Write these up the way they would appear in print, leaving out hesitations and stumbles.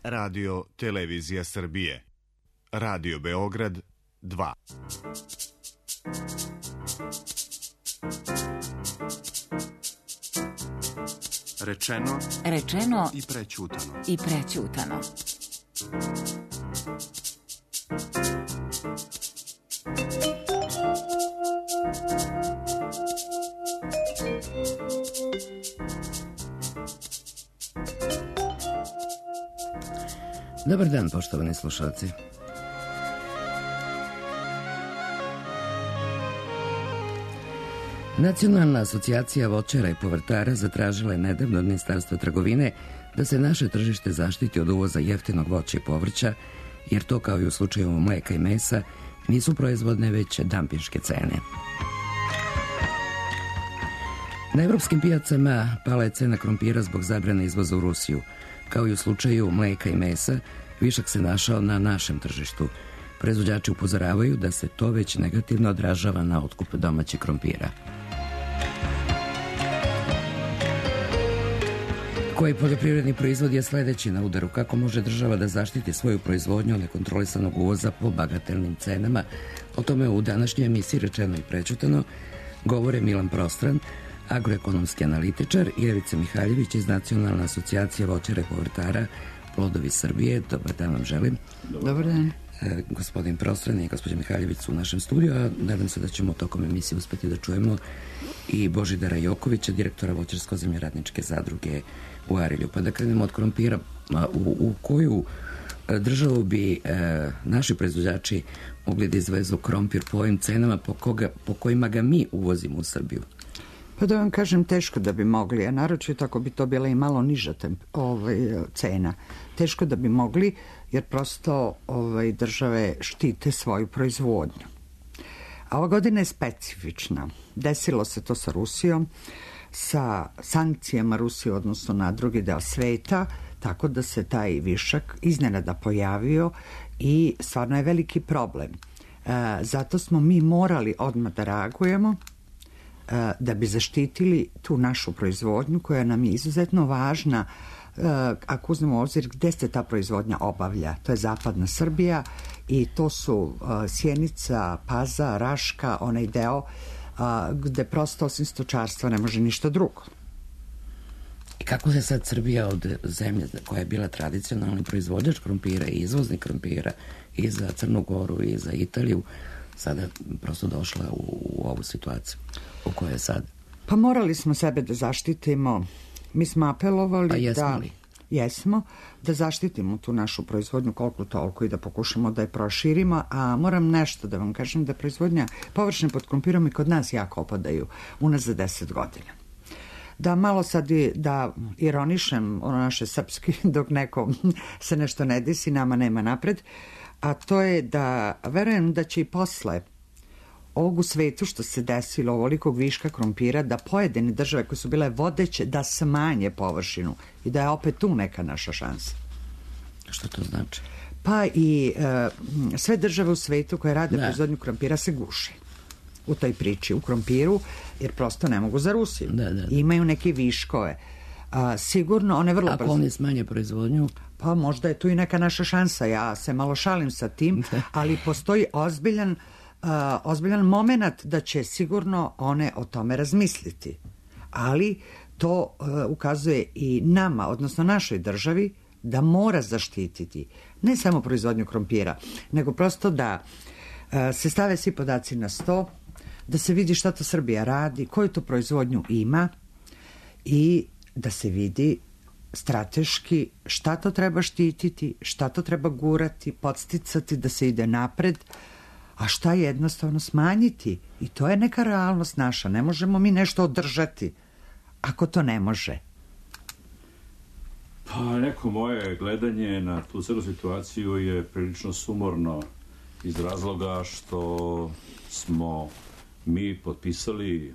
Radio Televizija Srbije. Radio Beograd 2. Rečeno i prećutano. Dobar dan, poštovani slušalci. Nacionalna asocijacija voćara i povrtara zatražila je nedavno od Ministarstva trgovine da se naše tržište zaštiti od uvoza jeftinog voća i povrća, jer to, kao i u slučaju mleka i mesa, nisu proizvodne već dampinške cene. Na evropskim pijacama pala je cena krompira zbog zabrane izvoza u Rusiju. Kao i u slučaju mleka i mesa, višak se našao na našem tržištu. Proizvođači upozoravaju da se to već negativno odražava na otkup domaćeg krompira. Koji poljoprivredni proizvod je sledeći na udaru? Kako može država da zaštiti svoju proizvodnju od nekontrolisanog uvoza po bagatelnim cenama? O tome u današnjoj emisiji Rečeno i prećutano govore Milan Prostran, agroekonomski analitičar, i Ivica Mihaljević iz Nacionalne asocijacije voćara i povrtara Plodovi Srbije. Dobar dan vam želim. Dobar dan. Gospodin Prostran i gospođa Mihaljević su u našem studiju, a nadam se da ćemo tokom emisije uspeti da čujemo i Božidara Jokovića, direktora Voćarsko-zemljoradničke zadruge u Arilju. Pa da krenemo od krompira. U koju državu bi naši proizvođači mogli da izvezu krompir, po ovim cenama po kojima ga mi uvozimo u Srbiju? Pa da vam kažem, teško da bi mogli, a naročito ako bi to bila i malo niža cena. Teško da bi mogli, jer prosto države štite svoju proizvodnju. A ova godina je specifična. Desilo se to sa Rusijom, sa sankcijama Rusije, odnosno na drugi deo sveta, tako da se taj višak iznenada pojavio i stvarno je veliki problem. Zato smo mi morali odmah da reagujemo, da bi zaštitili tu našu proizvodnju koja nam je izuzetno važna. Ako uzmemo u obzir gde se ta proizvodnja obavlja, to je zapadna Srbija i to su Sjenica, Pazar, Raška, onaj deo gde prosto osim stočarstva ne može ništa drugo. I kako se sad Srbija od zemlje koja je bila tradicionalni proizvođač krompira i izvoznik krompira i za Crnu Goru i za Italiju sada prosto došla u ovu situaciju u kojoj je sad? Pa morali smo sebe da zaštitimo. Mi smo apelovali da... Jesmo li? Jesmo, da zaštitimo tu našu proizvodnju koliko toliko i da pokušamo da je proširimo, a moram nešto da vam kažem, da proizvodnja površine pod krompirom i kod nas jako opadaju unazad 10 godina. Da malo sad da ironišem ono naše srpski, dok nekom se nešto ne desi, nama nema napred, a to je da verujem da će i posle ovog u svetu što se desilo ovolikog viška krompira, da pojedine države koje su bile vodeće da smanje površinu i da je opet tu neka naša šansa. Što to znači? Pa i sve države u svetu koje rade proizvodnju krompira se guše u toj priči, u krompiru, jer prosto ne mogu za Rusiju. Imaju neke viškove. Sigurno one vrlo brzo... Ako oni smanje proizvodnju? Pa možda je tu i neka naša šansa. Ja se malo šalim sa tim, ali postoji ozbiljan moment da će sigurno one o tome razmisliti. Ali to ukazuje i nama, odnosno našoj državi, da mora zaštititi ne samo proizvodnju krompira, nego prosto da se stave svi podaci na sto, da se vidi šta to Srbija radi, koju to proizvodnju ima i da se vidi strateški šta to treba štititi, šta to treba gurati, podsticati da se ide napred, a šta jednostavno smanjiti. I to je neka realnost naša. Ne možemo mi nešto održati ako to ne može. Pa neko moje gledanje na tu celu situaciju je prilično sumorno iz razloga što smo mi potpisali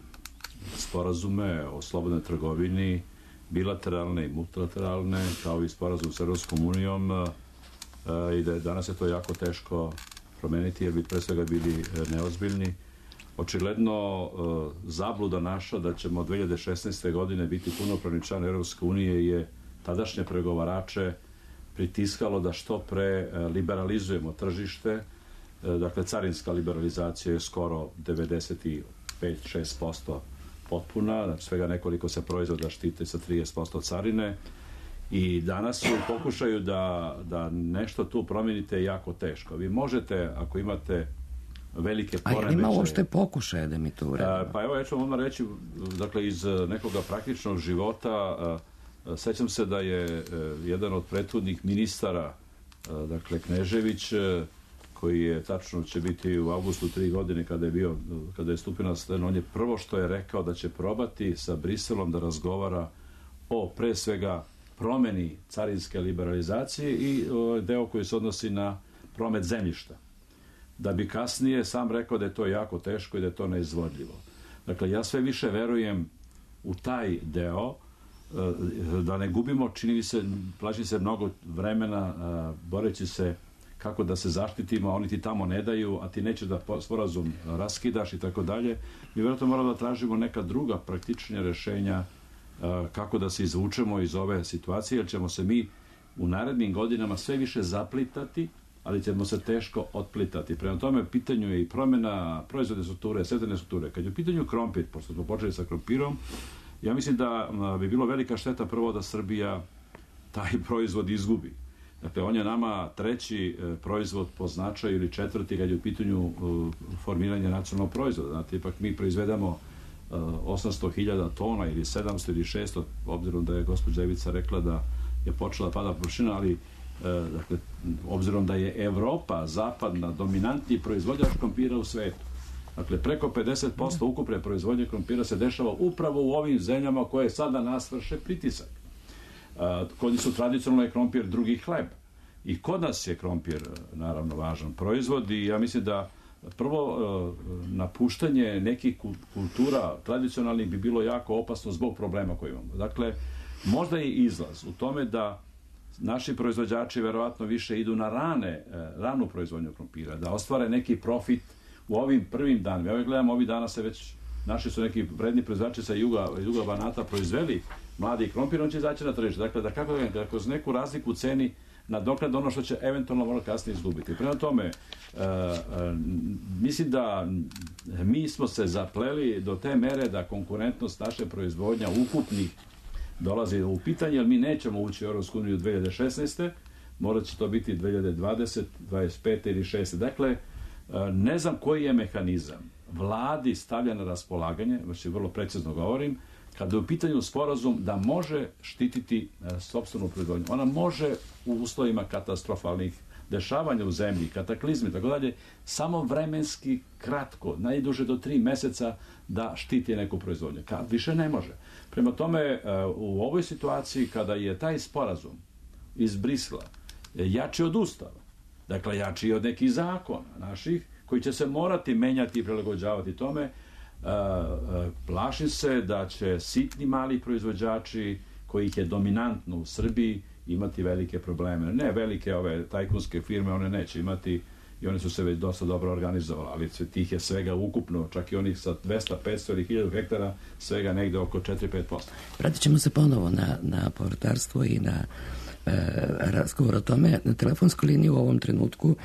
sporazume o slobodnoj trgovini, bilateralne i multilateralne, kao i sporazum s Evropskom unijom, i da je danas je to jako teško promeniti, jer bi pre svega bili neozbiljni. Očigledno zabluda naša da ćemo 2016. godine biti punopravni član Evropske unije je tadašnje pregovarače pritiskalo da što pre liberalizujemo tržište. Dakle, carinska liberalizacija je skoro 95-6% potpuna, znači svega nekoliko se proizvoda štite sa 30% carine i danas su u pokušaju da nešto tu promijenite jako teško. Vi možete, ako imate velike poremećaje... A je li ima uopšte pokušaje da mi to uradimo? Pa evo, ja ću vam odmah reći, dakle, iz nekoga praktičnog života, sećam se da je jedan od prethodnih ministara, dakle, Knežević, koji je, tačno će biti u avgustu 3 godine kada je stupio na scenu, on je prvo što je rekao da će probati sa Briselom da razgovara o, pre svega, promeni carinske liberalizacije i deo koji se odnosi na promet zemljišta. Da bi kasnije sam rekao da je to jako teško i da je to neizvodljivo. Dakle, ja sve više verujem u taj deo, da ne gubimo, plaći se mnogo vremena boreći se kako da se zaštitimo, a oni ti tamo ne daju, a ti nećeš da sporazum raskidaš i tako dalje. Mi vjerojatno moramo da tražimo neka druga praktičnija rešenja kako da se izvučemo iz ove situacije, jer ćemo se mi u narednim godinama sve više zaplitati, ali ćemo se teško otplitati. Prema tome, pitanju je i promjena proizvodne strukture, setvene strukture. Kad je u pitanju krompir, pošto smo počeli sa krompirom, ja mislim da bi bilo velika šteta prvo da Srbija taj proizvod izgubi. Dakle, on je nama 3. proizvod po značaju ili 4. kad je u pitanju formiranje nacionalnog proizvoda. Znate, ipak mi proizvedemo 800.000 tona ili 700 ili 600, obzirom da je gospođa Ivica rekla da je počela pada površina, ali dakle, obzirom da je Evropa zapadna dominantni proizvođač krompira u svetu. Dakle, preko 50% ukupne proizvodnje krompira se dešava upravo u ovim zemljama koje sad na nas vrše pritisak. Kod njih su tradicionalno krompir drugi hleb. I kod nas je krompir, naravno, važan proizvod i ja mislim da prvo napuštanje nekih kultura tradicionalnih bi bilo jako opasno zbog problema koje imamo. Dakle, možda je izlaz u tome da naši proizvođači verovatno više idu na ranu proizvodnju krompira, da ostvare neki profit u ovim prvim danima. Ja gledam, ovih dana se već, naši su neki vredni proizvođači sa juga Banata proizveli mladi krompir, on će izaći na tržište. Dakle, da kroz neku razliku u ceni nadoknade ono što će eventualno možda kasnije izgubiti. Prema tome, mislim da mi smo se zapleli do te mere da konkurentnost naše proizvodnja ukupnih dolazi u pitanje, jer mi nećemo ući u Europsku uniju 2016. Morat će to biti 2020, 25 ili 6. Dakle, ne znam koji je mehanizam vladi stavlja na raspolaganje, znači vrlo precizno govorim, kada je u pitanju sporazum da može štititi sopstvenu proizvodnju. Ona može u uslovima katastrofalnih dešavanja u zemlji, kataklizmi, tako dalje, samo vremenski kratko, najduže do 3 meseca da štiti neku proizvodnju. Kad više ne može. Prema tome, u ovoj situaciji kada je taj sporazum iz Brisela jači od Ustava, dakle jači od nekih zakona naših, koji će se morati menjati i prilagođavati tome, plašim se da će sitni mali proizvođači, kojih je dominantno u Srbiji, imati velike probleme. Ne velike ove tajkunske firme, one neće imati i one su se već dosta dobro organizovali, ali tih je svega ukupno, čak i onih sa 200, 500 ili 1000 hektara, svega negde oko 4-5%. Vratit ćemo se ponovo na povrtarstvo i na razgovor o tome. Na telefonskoj liniji u ovom trenutku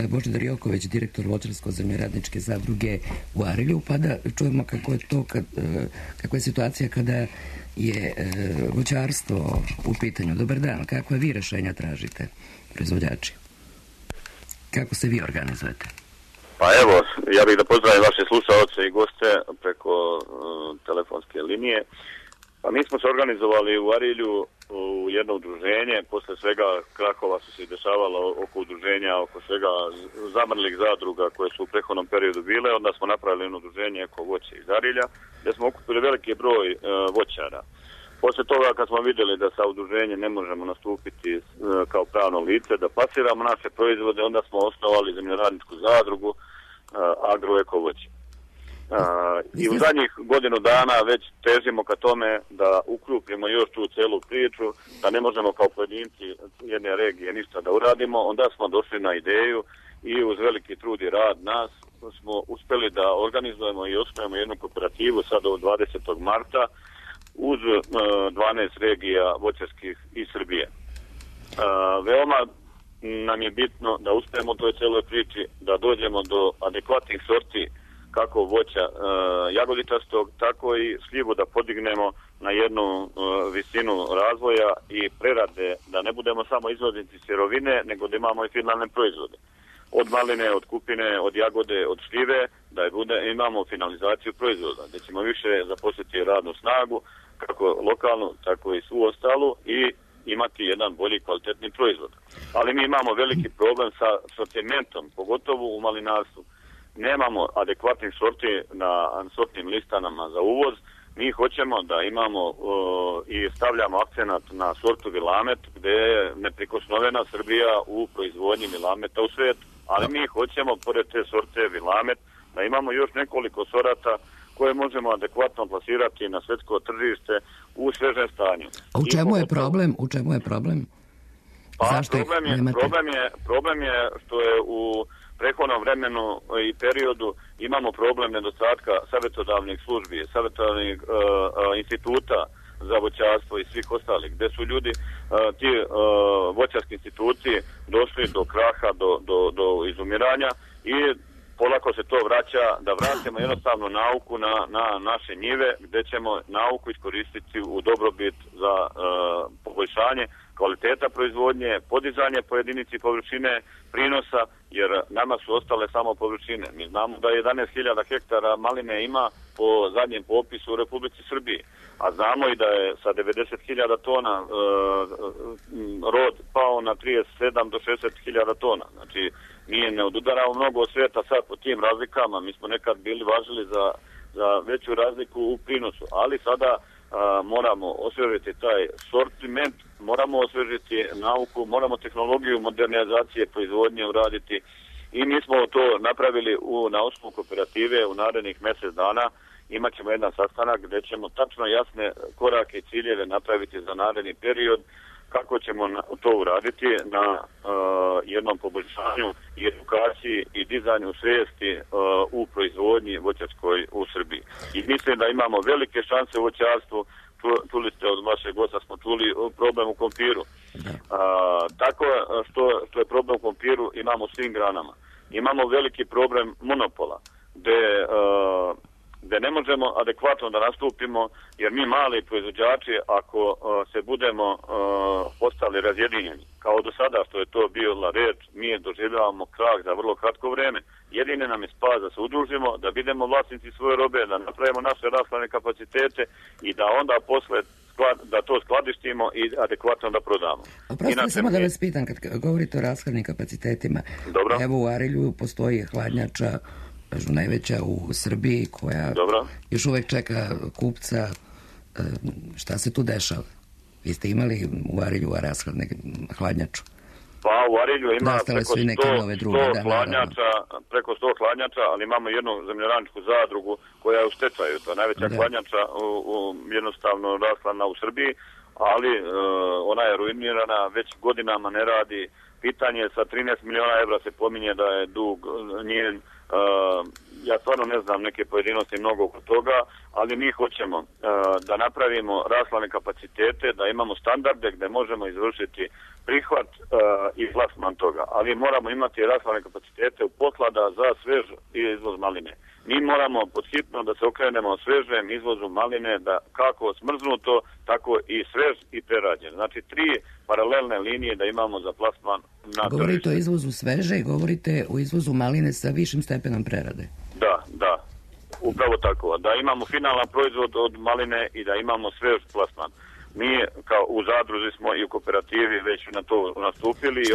Božidar Joković, direktor Voćarsko-zemljoradničke zadruge u Arilju, pa da čujemo kako je to, kakva je situacija kada je voćarstvo u pitanju. Dobar dan, kakve vi rešenja tražite, proizvođači? Kako se vi organizujete? Pa evo, ja bih da pozdravim vaše slušaoce i goste preko telefonske linije. Pa mi smo se organizovali u Arilju u jedno udruženje, posle svega krakova su se dešavalo oko udruženja, oko svega zamrlih zadruga koje su u prethodnom periodu bile, onda smo napravili jedno udruženje Eko voće iz Arilja, gdje smo okupili veliki broj voćara. Posle toga kad smo vidjeli da sa udruženjem ne možemo nastupiti kao pravno lice, da plasiramo naše proizvode, onda smo osnovali zemljoradničku zadrugu Agro Eko voće. I u zadnjih godinu dana već težimo ka tome da ukrupnimo još tu celu priču, da ne možemo kao pojedinci jedne regije ništa da uradimo. Onda smo došli na ideju i uz veliki trud i rad nas smo uspjeli da organizujemo i osnujemo jednu kooperativu sada od 20. marta uz 12 regija voćarskih iz Srbije. Veoma nam je bitno da uspijemo u toj celoj priči, da dođemo do adekvatnih sorti kako voća jagodičastog, tako i šljivu da podignemo na jednu visinu razvoja i prerade, da ne budemo samo izvoznici sirovine, nego da imamo i finalne proizvode. Od maline, od kupine, od jagode, od šljive, da imamo finalizaciju proizvoda, gdje ćemo više zaposliti radnu snagu, kako lokalnu, tako i svu ostalu, i imati jedan bolji kvalitetni proizvod. Ali mi imamo veliki problem sa sortimentom, pogotovo u malinarstvu. Nemamo adekvatnih sorti na sortnim listanama za uvoz. Mi hoćemo da imamo i stavljamo akcenat na sortu Vilamet, gdje je neprikosnovena Srbija u proizvodnji Vilameta u svijetu. Ali mi hoćemo, pored te sorte Vilamet, da imamo još nekoliko sorata koje možemo adekvatno plasirati na svjetsko tržište u svežem stanju. A u čemu je problem? U čemu je problem? Zašto problem je što je u prethodnom vremenu i periodu imamo problem nedostatka savjetodavnih službi, savjetodavnih instituta za voćarstvo i svih ostalih, gdje su ljudi, ti voćarski instituti došli do kraha, do izumiranja i polako se to vraća, da vratimo jednostavno nauku na naše njive, gdje ćemo nauku iskoristiti u dobrobit za poboljšanje kvaliteta proizvodnje, podizanje po jedinici površine prinosa, jer nama su ostale samo površine. Mi znamo da 11.000 hektara maline ima po zadnjem popisu u Republici Srbiji, a znamo i da je sa 90.000 tona rod pao na 37 do 60.000 tona. Znači, mi ne odudaramo mnogo od svijeta sad po tim razlikama. Mi smo nekad bili važili za veću razliku u prinosu, ali sada moramo osvježiti taj sortiment, moramo osvježiti nauku, moramo tehnologiju modernizacije proizvodnje uraditi i mi smo to napravili na osnovu kooperative u narednih mjesec dana. Imat ćemo jedan sastanak gdje ćemo tačno jasne korake i ciljeve napraviti za naredni period, kako ćemo to uraditi na jednom poboljšanju i edukaciji i dizanju svijesti u proizvodnji voćarskoj u Srbiji. I mislim da imamo velike šanse u voćarstvu. Čuli ste od vašeg gosta, smo čuli problem u kompiru. Tako što je problem u kompiru imamo u svim granama. Imamo veliki problem monopola, gdje ne možemo adekvatno da nastupimo, jer mi mali proizvođači, ako se budemo postali razjedinjeni, kao do sada što je to bila reč, mi doživljavamo krah za vrlo kratko vreme. Jedine nam je spas da se udružimo, da budemo vlasnici svoje robe, da napravimo naše rashladne kapacitete i da onda posle da to skladištimo i adekvatno da prodamo. Oprostite, samo da vas pitam, kad govorite o rashladnim kapacitetima, dobro. Evo u Arilju postoji hladnjača, najveća u Srbiji, koja još uvijek čeka kupca. Šta se tu dešava? Vi ste imali u Arilju hladnjaču? Pa u Arilju ima preko 100 hladnjača, ali imamo jednu zemljoradničku zadrugu koja je u stečaju. To je najveća hladnjača jednostavno rashladna u Srbiji, ali ona je ruinirana, već godinama ne radi. Pitanje sa 13 miliona evra se pominje da je dug njen. Ja stvarno ne znam neke pojedinosti mnogo oko toga, ali mi hoćemo da napravimo rashladne kapacitete, da imamo standarde gdje možemo izvršiti prihvat i plasman toga, ali moramo imati rashladne kapacitete u poslada za svež izvoz maline. Mi moramo podhitno da se okrenemo svežem izvozu maline, da kako smrznuto, tako i svež i prerađen. Znači 3 paralelne linije da imamo za plasman na tržište. Govorite o izvozu sveže i govorite o izvozu maline sa višim stepenom prerade. Da, upravo tako. Da imamo finalan proizvod od maline i da imamo svež plasman. Mi kao u zadruzi smo i u kooperativi već na to nastupili.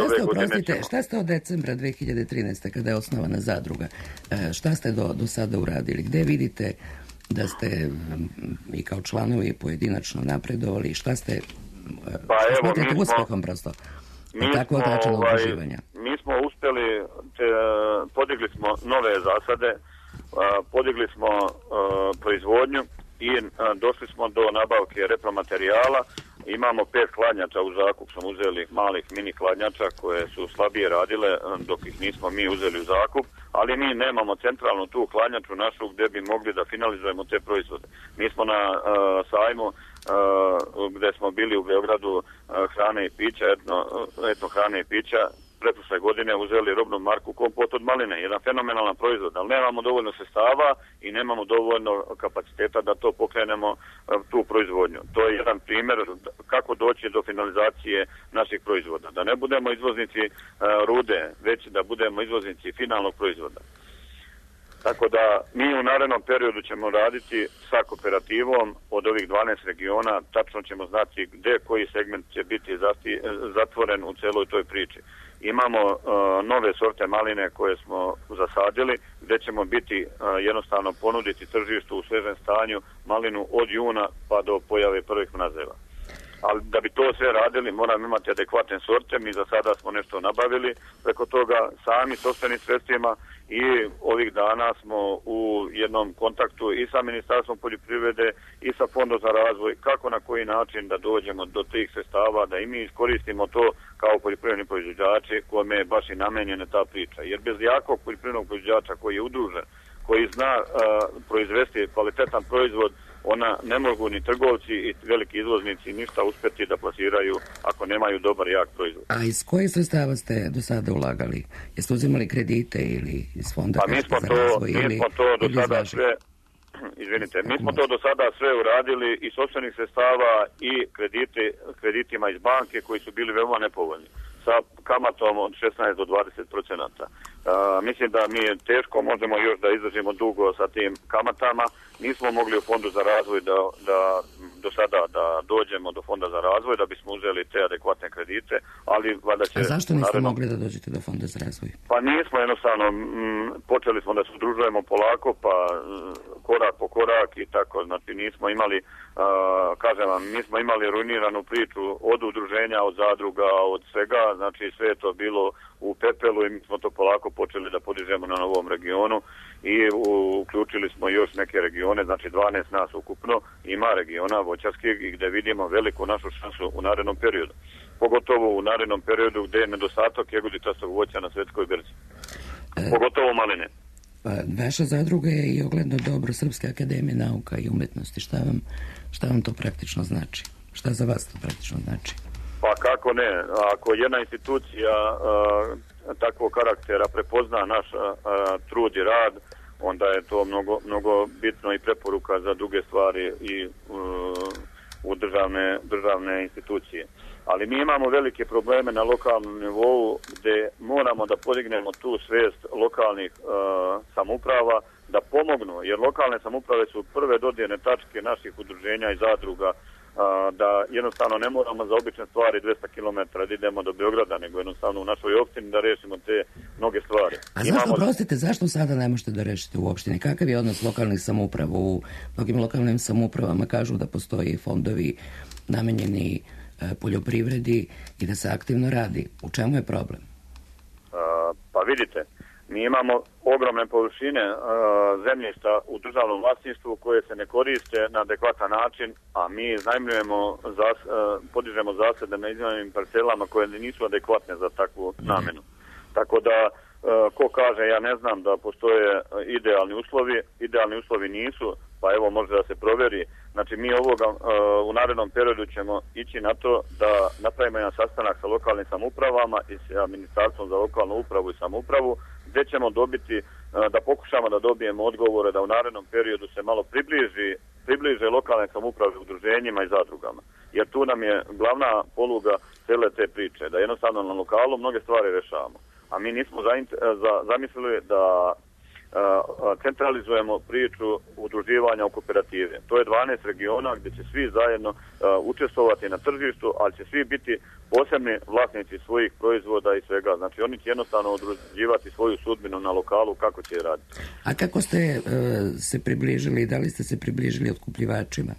Šta ste od decembra 2013. kada je osnovana zadruga? Šta ste do sada uradili? Gde vidite da ste i kao članovi pojedinačno napredovali? Šta ste smatrate uspehom prosto? Mi smo uspjeli, podigli smo nove zasade, podigli smo proizvodnju i došli smo do nabavke repromaterijala. Imamo 5 hladnjača u zakup, smo uzeli malih mini hladnjača koje su slabije radile dok ih nismo mi uzeli u zakup, ali mi nemamo centralnu tu hladnjaču našu gdje bi mogli da finalizujemo te proizvode. Mi smo na sajmu gde smo bili u Beogradu hrane i pića, etno hrane i pića, pretprošle godine uzeli robnu marku kompot od maline, jedan fenomenalan proizvod, ali nemamo dovoljno sredstava i nemamo dovoljno kapaciteta da to pokrenemo, tu proizvodnju. To je jedan primjer kako doći do finalizacije naših proizvoda. Da ne budemo izvoznici rude, već da budemo izvoznici finalnog proizvoda. Tako da mi u narednom periodu ćemo raditi sa kooperativom od ovih 12 regiona, tačno ćemo znati gde koji segment će biti zatvoren u celoj toj priči. Imamo nove sorte maline koje smo zasadili, gde ćemo biti jednostavno ponuditi tržištu u svežem stanju malinu od juna pa do pojave prvih mrazeva. Ali da bi to sve radili moramo imati adekvatne sorte, mi za sada smo nešto nabavili preko toga sami sopstvenim sredstvima i ovih dana smo u jednom kontaktu i sa Ministarstvom poljoprivrede i sa Fondom za razvoj, kako na koji način da dođemo do tih sredstava, da i mi iskoristimo to kao poljoprivredni proizvođači kome je baš i namenjena ta priča. Jer bez jakog poljoprivrednog proizvođača koji je udružen, koji zna proizvesti kvalitetan proizvod, ona ne mogu ni trgovci i veliki izvoznici ništa uspeti da plasiraju ako nemaju dobar jak proizvod. A iz kojih sredstava ste do sada ulagali? Jeste uzimali kredite ili iz fonda za razvoj? Mi smo to do sada sve, izvinite, mi smo to do sada sve uradili iz sopstvenih sredstava i kreditima iz banke koji su bili veoma nepovoljni, sa kamatom od 16 do 20%. Mislim da mi teško možemo još da izdržimo dugo sa tim kamatama. Nismo mogli u Fondu za razvoj da do sada da dođemo do Fonda za razvoj da bismo uzeli te adekvatne kredite, ali valjda će... A zašto niste mogli da dođete do Fonda za razvoj? Pa nismo jednostavno, počeli smo da se udružujemo polako, pa korak po korak i tako, znači nismo imali, kažem vam, nismo imali ruiniranu priču od udruženja, od zadruga, od svega, znači sve je to bilo u pepelu i mi smo to polako počeli da podižemo na novom regionu i uključili smo još neke regione, znači 12 nas ukupno, ima regiona voćarskih i gde vidimo veliku našu šansu u narednom periodu. Pogotovo u narednom periodu gde je nedostatak jagoditastog voća na svetskoj berzi. Pogotovo maline. Vaša zadruga je i ogledno dobro Srpske akademije nauka i umetnosti. Šta vam to praktično znači? Šta za vas to praktično znači? Pa kako ne, ako jedna institucija takvog karaktera prepozna naš trud i rad, onda je to mnogo bitno i preporuka za druge stvari i u državne institucije. Ali mi imamo velike probleme na lokalnom nivou gde moramo da podignemo tu svest lokalnih samouprava da pomognu, jer lokalne samouprave su prve dodirne tačke naših udruženja i zadruga, da jednostavno ne moramo za obične stvari 200 km da idemo do Beograda, nego jednostavno u našoj opštini da rešimo te mnoge stvari. A zašto, prostite, zašto sada ne možete da rešite u opštini? Kakav je odnos lokalnih samouprava? U mnogim lokalnim samoupravama kažu da postoji fondovi namenjeni poljoprivredi i da se aktivno radi. U čemu je problem? Pa vidite, mi imamo ogromne površine zemljišta u državnom vlasništvu koje se ne koriste na adekvatan način, a mi iznajmljujemo, podižemo zasade na iznajmljenim parcelama koje nisu adekvatne za takvu namenu. Tako da, ko kaže, ja ne znam da postoje idealni uslovi nisu, pa evo može da se proveri. Znači mi u narednom periodu ćemo ići na to da napravimo jedan sastanak sa lokalnim samoupravama i sa Ministarstvom za lokalnu upravu i samoupravu, gde ćemo dobiti, da pokušamo da dobijemo odgovore da u narednom periodu se malo približe lokalne samouprave udruženjima i zadrugama. Jer tu nam je glavna poluga cele te priče, da jednostavno na lokalu mnoge stvari rešavamo. A mi nismo zamislili da centralizujemo priču udruživanja u kooperative. To je 12 regiona gdje će svi zajedno učestvovati na tržištu, ali će svi biti posebni vlasnici svojih proizvoda i svega. Znači oni će jednostavno određivati svoju sudbinu na lokalu kako će raditi. A kako ste se približili, da li ste se približili otkupljivačima?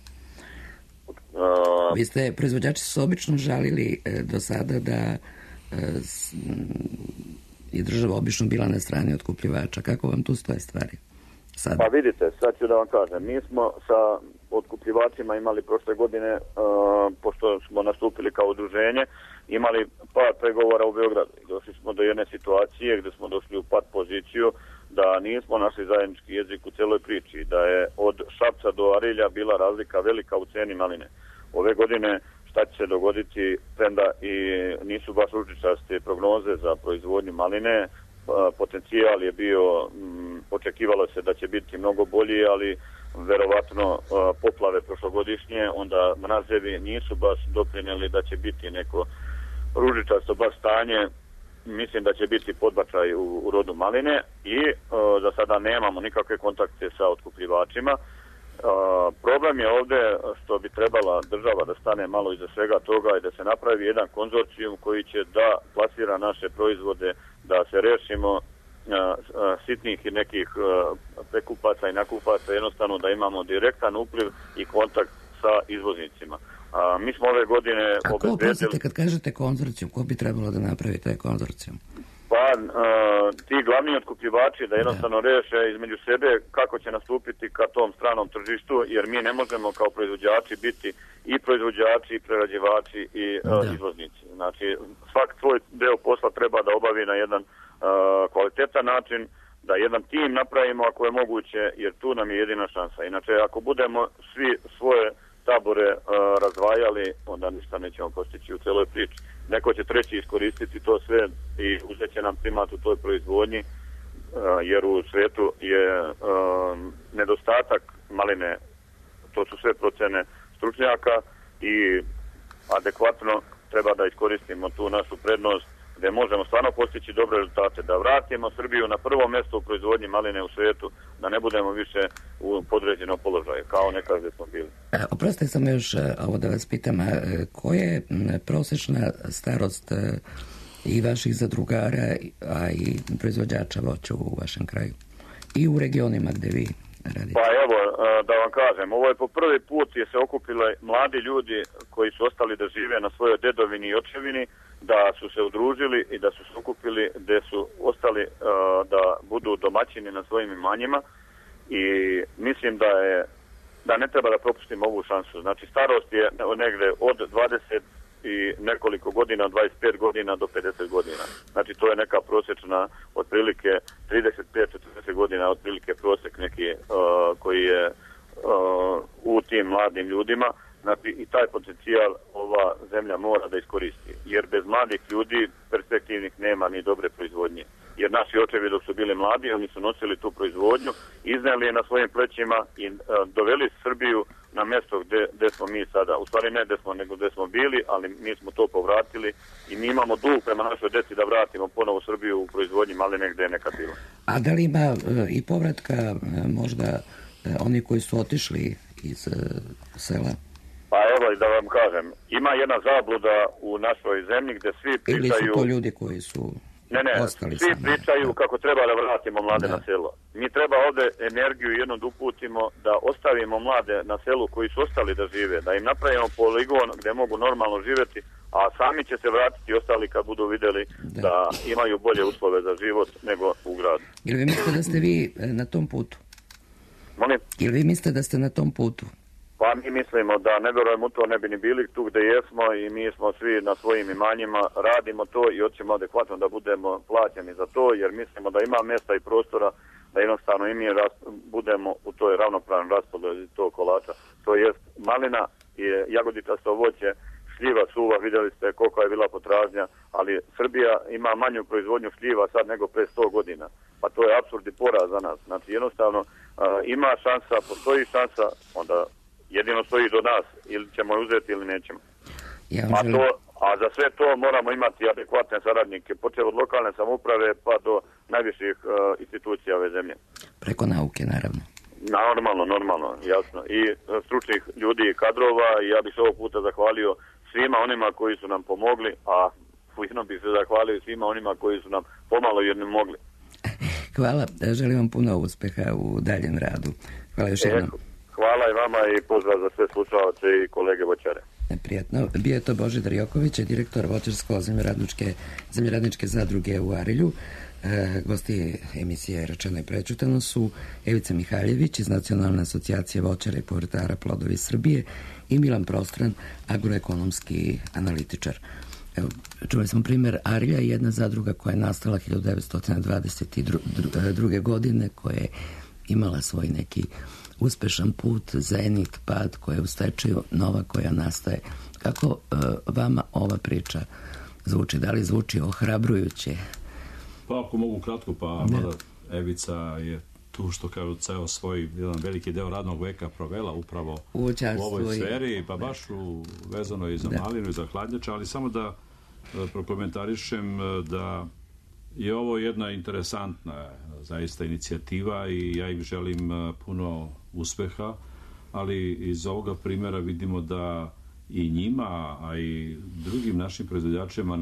Proizvođači su obično žalili do sada da je država obično bila na strani otkupljivača. Kako vam tu stoje stvari sada? Pa vidite, sad ću da vam kažem. Mi smo sa otkupljivačima imali prošle godine, pošto smo nastupili kao udruženje, imali par pregovora u Beogradu. Došli smo do jedne situacije gde smo došli u pat poziciju da nismo našli zajednički jezik u celoj priči, da je od Šapca do Arilja bila razlika velika u ceni maline. ove godine šta će se dogoditi, premda i nisu baš ružičaste prognoze za proizvodnju maline. Potencijal je bio, očekivalo se da će biti mnogo bolji, ali verovatno poplave prošlogodišnje, onda mrazevi nisu baš doprinijeli da će biti neko ružičasto baš stanje. Mislim da će biti podbačaj u rodu maline i za sada nemamo nikakve kontakte sa otkupljivačima. Problem je ovdje što bi trebala država da stane malo iza svega toga i da se napravi jedan konzorcijum koji će da plasira naše proizvode, da se rešimo sitnih i nekih prekupaca i nakupaca, jednostavno da imamo direktan upliv i kontakt sa izvoznicima. Mi smo ove godine obezbedili... Kad kažete konzorcijum, ko bi trebalo da napravi taj konzorcijum? Pa, ti glavni otkupljivači da jednostavno reše između sebe kako će nastupiti ka tom stranom tržištu, jer mi ne možemo kao proizvođači biti i proizvođači, i prerađivači, i izvoznici. Znači, svak svoj deo posla treba da obavi na jedan kvalitetan način, da jedan tim napravimo ako je moguće, jer tu nam je jedina šansa. Inače, ako budemo svi svoje tabore razdvajali, onda ništa nećemo postići u celoj priči. Neko će treći iskoristiti to sve i uzet će nam primat u toj proizvodnji, jer u svetu je nedostatak maline, to su sve procene stručnjaka i adekvatno treba da iskoristimo tu našu prednost gde možemo stvarno postići dobre rezultate, da vratimo Srbiju na prvo mjesto u proizvodnji maline u svijetu, da ne budemo više u podređenom položaju, kao nekad gdje smo bili. Oprostite samo još ovo da vas pitam, koja je prosječna starost i vaših zadrugara, a i proizvođača voća u vašem kraju i u regionima gde vi radite? Pa evo, da vam kažem, ovo je po prvi put je se okupile mladi ljudi koji su ostali da žive na svojoj dedovini i očevini, da su se udružili i da su se okupili, gde su ostali da budu domaćini na svojim imanjima i mislim da ne treba da propustimo ovu šansu. Znači, starost je negde od 20 i nekoliko godina, 25 godina do 50 godina. Znači, to je neka prosječna, otprilike 35-40 godina, otprilike prosjek neki koji je u tim mladim ljudima. Znači, i taj potencijal ova zemlja mora da iskoristi. Jer bez mladih ljudi perspektivnih nema ni dobre proizvodnje. Jer naši očevi dok su bili mladi, oni su nosili tu proizvodnju, izneli je na svojim plećima i doveli Srbiju na mjesto gde smo mi sada. U stvari ne gde smo, nego gde smo bili, ali mi smo to povratili i mi imamo dug prema našoj deci da vratimo ponovo Srbiju u proizvodnji maline gde je nekad bilo. A da li ima i povratka možda oni koji su otišli iz sela? Pa evo i da vam kažem, ima jedna zabluda u našoj zemlji gde svi pričaju... Ili su to ljudi koji su ostali svi pričaju kako treba da vratimo mlade na selo. Mi treba ovde energiju jednom da uputimo, da ostavimo mlade na selu koji su ostali da žive, da im napravimo poligon gde mogu normalno živjeti, a sami će se vratiti ostali kad budu vidjeli da imaju bolje uslove za život nego u gradu. Ili vi mislite da ste vi na tom putu? Molim? Ili vi mislite da ste na tom putu? Pa mi mislimo da ne vjerujemo u to, ne bi ni bili tu gde jesmo i mi smo svi na svojim imanjima, radimo to i hoćemo adekvatno da budemo plaćeni za to, jer mislimo da ima mjesta i prostora da jednostavno i mi budemo u toj ravnopravnom raspodjeli tog kolača. To jest malina i jagoditasto voće, šljiva, suva, vidjeli ste koliko je bila potražnja, ali Srbija ima manju proizvodnju šljiva sad nego pre 100 godina. Pa to je apsurd i poraz za nas. Znači jednostavno ima šansa, postoji šansa, onda jedino stoji do nas, ili ćemo je uzeti ili nećemo. A za sve to moramo imati adekvatne saradnike, počeo od lokalne samouprave pa do najviših institucija ove zemlje. Preko nauke, naravno. Normalno, jasno. I stručnih ljudi i kadrova, i ja bih se ovog puta zahvalio svima onima koji su nam pomogli, a ujedno bih se zahvalio svima onima koji su nam pomalo jer ne mogli. Hvala, želim vam puno uspeha u daljem radu. Hvala još jednom. Hvala i vama i pozdrav za sve slušalce i kolege voćare. Prijatno. Bio je to Božidar Joković, direktor voćarsko-zemljoradničke zadruge u Arilju. Gosti emisije Rečeno i prečutano su Evica Mihaljević iz Nacionalne asocijacije voćara i povrtara Plodovi Srbije i Milan Prostran, agroekonomski analitičar. Evo, čuli smo primjer Arilja, jedna zadruga koja je nastala 1922. godine, koja je imala svoj neki uspešan put, zenit, pad, koja je u stečaju, nova koja nastaje. Kako vama ova priča zvuči? Da li zvuči ohrabrujuće? Pa ako mogu kratko, pa mada Evica je tu što kažu ceo svoj jedan veliki deo radnog veka provela upravo u ovoj sferi, pa baš vezano i za malinu i za hladnjače, ali samo da prokomentarišem da je ovo jedna interesantna zaista inicijativa i ja im želim puno uspeha, ali iz ovoga primjera vidimo da i njima, a i drugim našim proizvođačima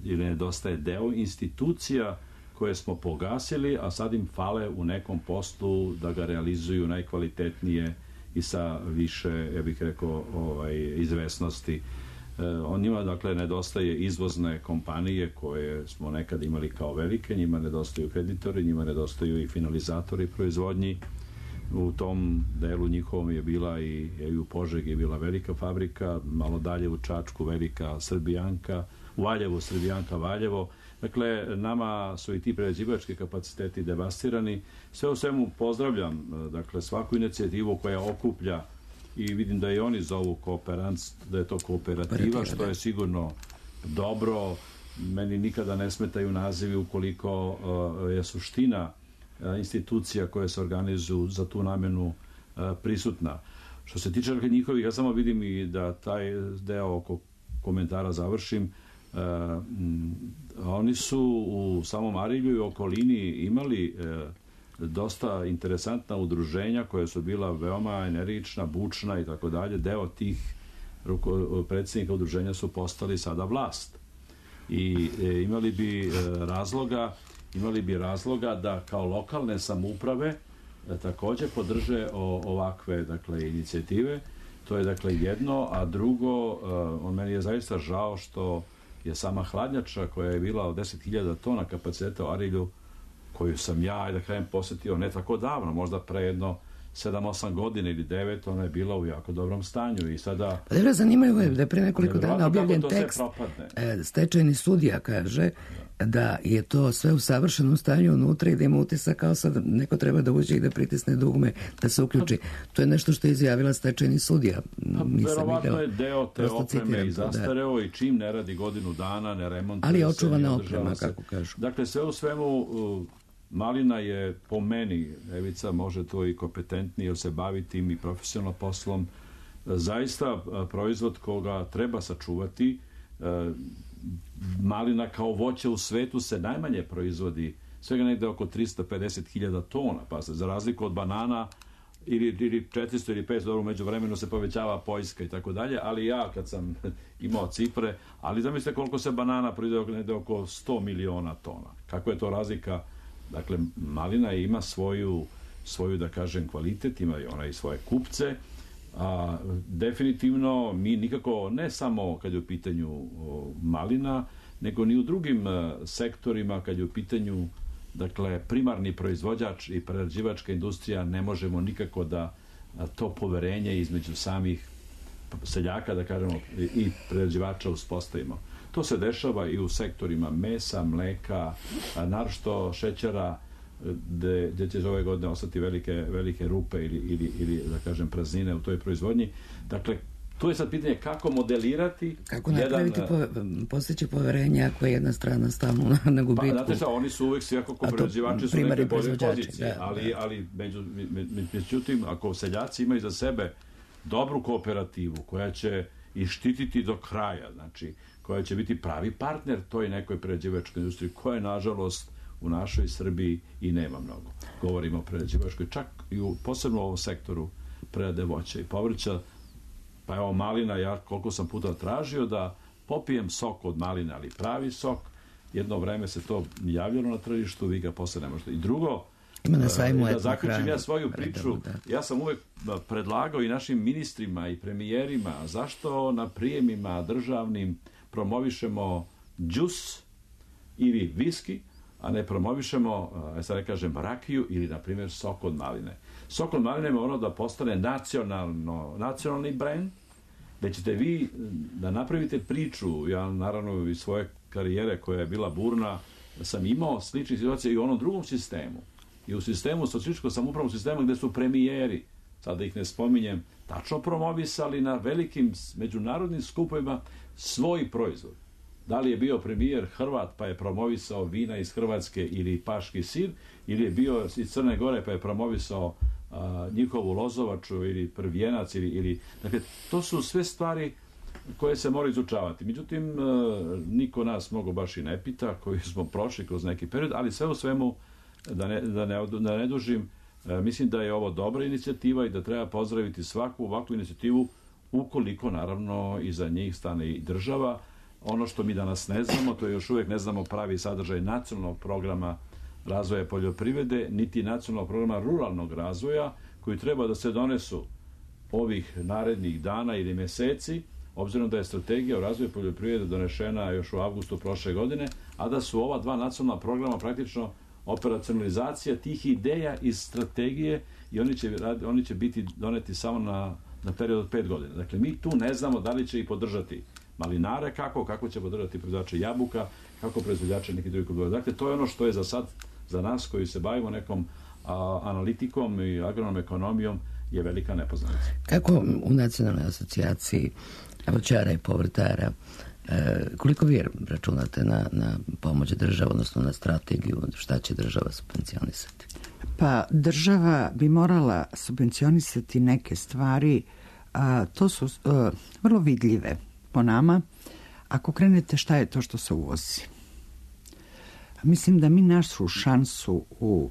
nedostaje deo institucija koje smo pogasili, a sad im fale u nekom poslu da ga realizuju najkvalitetnije i sa više, ja bih rekao, izvesnosti. Njima, dakle, nedostaje izvozne kompanije koje smo nekad imali kao velike, njima nedostaju kreditori, njima nedostaju i finalizatori proizvodnji. U tom delu njihovom je bila i u Požegi je bila velika fabrika, malo dalje u Čačku velika Srbijanka, u Valjevu Srbijanka Valjevo. Dakle, nama su i ti prerađivački kapaciteti devastirani. Sve u svemu pozdravljam, dakle, svaku inicijativu koja okuplja i vidim da i oni zovu da je to kooperativa, što je sigurno dobro. Meni nikada ne smetaju nazivi ukoliko je suština institucija koje se organizuju za tu namenu prisutna. Što se tiče njihovih, ja samo vidim i da taj deo oko komentara završim. Oni su u samom Arilju i okolini imali dosta interesantna udruženja koja su bila veoma energična, bučna i tako dalje. Deo tih predsjednika udruženja su postali sada vlast. I imali bi razloga da kao lokalne samouprave također podrže ovakve, dakle, inicijative. To je, dakle, jedno, a drugo, meni je zaista žao što je sama hladnjača koja je bila od 10.000 tona kapaciteta u Arilju, koju sam ja, da kažem, posjetio ne tako davno, možda pre jedno 7-8 godina ili 9, ona je bila u jako dobrom stanju i sada... Pa dobro, zanimljivo je da je pre nekoliko dana objavljen tekst, stečajni sudija kaže da je to sve u savršenom stanju unutra i da ima utisak kao sad neko treba da uđe i da pritisne dugme, da se uključi. To je nešto što je izjavila stečajni sudija. Verovatno je deo te opreme i zastareo i čim ne radi godinu dana, ne remontuje se. Ali je očuvana oprema, kako kažu. Dakle, sve u svemu, malina je po meni, Evica može to i kompetentnije jer se bavi tim i profesionalno poslom, zaista proizvod koga treba sačuvati. Malina kao voće u svetu se najmanje proizvodi, svega negde oko 350.000 tona, pa se za razliku od banana ili 400 ili 500, dobro, među vremenu se povećava Poljska i tako dalje, ali ja kad sam imao cifre, ali zamislite koliko se banana proizvodi, negde oko 100 miliona tona. Kako je to razlika? Dakle, malina ima svoju, da kažem, kvalitet, ima i ona i svoje kupce, a definitivno mi nikako, ne samo kad je u pitanju malina, nego ni u drugim sektorima kad je u pitanju, dakle, primarni proizvođač i prerađivačka industrija, ne možemo nikako da to poverenje između samih seljaka, da kažemo, i prerađivača uspostavimo. To se dešava i u sektorima mesa, mleka, naročito šećera, gdje će ove godine ostati velike rupe ili da kažem praznine u toj proizvodnji. Dakle, tu je sad pitanje kako modelirati... Kako napraviti postići poverenje ako je jedna strana stalno na gubitku. Pa, znate šta, oni su uvijek svi ako prerađivači su neke bolje pozicije, ali međutim, ako seljaci imaju za sebe dobru kooperativu koja će i štititi do kraja, znači koja će biti pravi partner toj nekoj prerađivačkoj industriji, koja je, nažalost, u našoj Srbiji i nema mnogo. Govorimo o prerađivačkoj, čak i posebno u ovom sektoru prerade voća i povrća. Pa evo, malina, ja koliko sam puta tražio da popijem sok od maline, ali pravi sok, jedno vreme se to javljalo na tržištu, vi ga posle ne možete. I drugo, da zaključim ja svoju priču, ja sam uvek predlagao i našim ministrima i premijerima zašto na prijemima državnim promovišemo džus ili viski, a ne promovišemo, sad ne kažem, rakiju ili, na primjer, sok od maline. Sok od maline mora da postane nacionalni brend, gde ćete vi da napravite priču. Ja, naravno, iz svoje karijere koja je bila burna, sam imao slične situacije i u onom drugom sistemu. i u sistemu, socijalističkom samoupravnom sistemu gde su premijeri, sada ih ne spominjem, tačno promovisali na velikim međunarodnim skupovima svoj proizvod. Da li je bio premijer Hrvat pa je promovisao vina iz Hrvatske ili paški sir, ili je bio iz Crne Gore pa je promovisao njihovu lozovaču ili prvijenac ili... Dakle, to su sve stvari koje se moraju izučavati. Međutim, niko nas mnogo baš i ne pita, koji smo prošli kroz neki period, ali sve u svemu, da ne dužim, mislim da je ovo dobra inicijativa i da treba pozdraviti svaku ovakvu inicijativu, ukoliko, naravno, iza njih stane i država. Ono što mi danas ne znamo, to je još uvijek ne znamo pravi sadržaj nacionalnog programa razvoja poljoprivrede, niti nacionalnog programa ruralnog razvoja, koji treba da se donesu ovih narednih dana ili meseci, obzirom da je strategija o razvoju poljoprivrede donešena još u avgustu prošle godine, a da su ova dva nacionalna programa praktično operacionalizacija tih ideja iz strategije i oni će biti doneti samo na period od 5 godina. Dakle, mi tu ne znamo da li će i podržati malinare, kako će podržati proizvođače jabuka, kako proizvođače nekih drugih kultura. Dakle, to je ono što je za sad, za nas koji se bavimo nekom analitikom i agronom ekonomijom, je velika nepoznanica. Kako u Nacionalnoj asocijaciji voćara i povrtara, koliko vi računate na pomoć države, odnosno na strategiju, šta će država subvencionisati? Pa država bi morala subvencionisati neke stvari, to su vrlo vidljive po nama. Ako krenete šta je to što se uvozi. Mislim da mi našu šansu u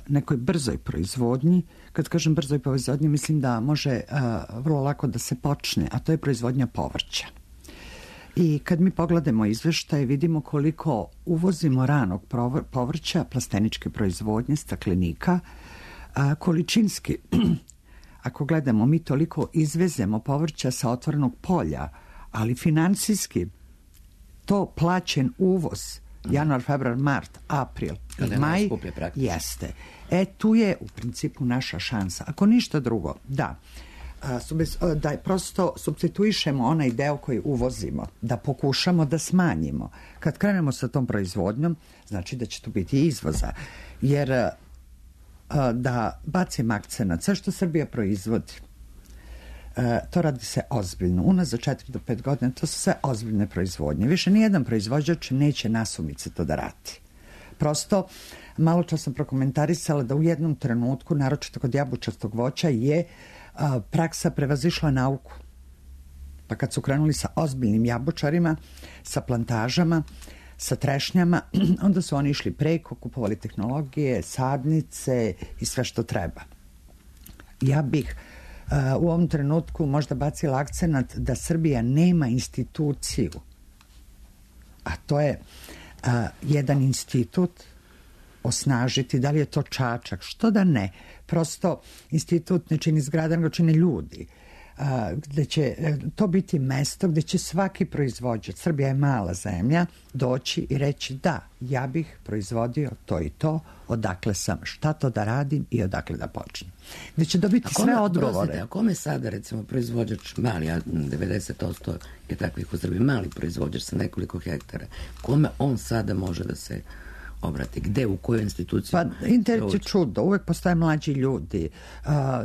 nekoj brzoj proizvodnji, kad kažem brzoj proizvodnji, mislim da može vrlo lako da se počne, a to je proizvodnja povrća. I kad mi pogledamo izveštaje, vidimo koliko uvozimo ranog povrća, plasteničke proizvodnje, staklenika, količinski. Ako gledamo, mi toliko izvezemo povrća sa otvorenog polja, ali financijski to plaćen uvoz, januar, februar, mart, april i maj, jeste. Tu je u principu naša šansa. Ako ništa drugo, da prosto supstituišemo onaj deo koji uvozimo, da pokušamo da smanjimo. Kad krenemo sa tom proizvodnjom, znači da će tu biti izvoza. Jer da bacim akcenat, sve što Srbija proizvodi, to radi se ozbiljno. Unazad 4 do 5 godina to su sve ozbiljne proizvodnje. Više nijedan proizvođač neće nasumice to da radi. Prosto, malo čas sam prokomentarisala da u jednom trenutku, naročito kod jabučastog voća, je praksa prevazišla nauku. Pa kad su krenuli sa ozbiljnim jabučarima, sa plantažama, sa trešnjama, onda su oni išli preko, kupovali tehnologije, sadnice i sve što treba. Ja bih u ovom trenutku možda bacila akcenat da Srbija nema instituciju, a to je jedan institut osnažiti, da li je to Čačak, što da ne. Prosto institut ne čini zgrada, nego čine ljudi. Gde će to biti mesto gde će svaki proizvođač, Srbija je mala zemlja, doći i reći da, ja bih proizvodio to i to, odakle sam, šta to da radim i odakle da počnem. Gde će dobiti sve odgovore. A kome sada, recimo, proizvođač mali, a 90% je takvih u Srbiji, mali proizvođač sa nekoliko hektara, kome on sada može da se obrati? Gde, u kojoj instituciji? Pa, internet je čudo, uvek postoje mlađi ljudi.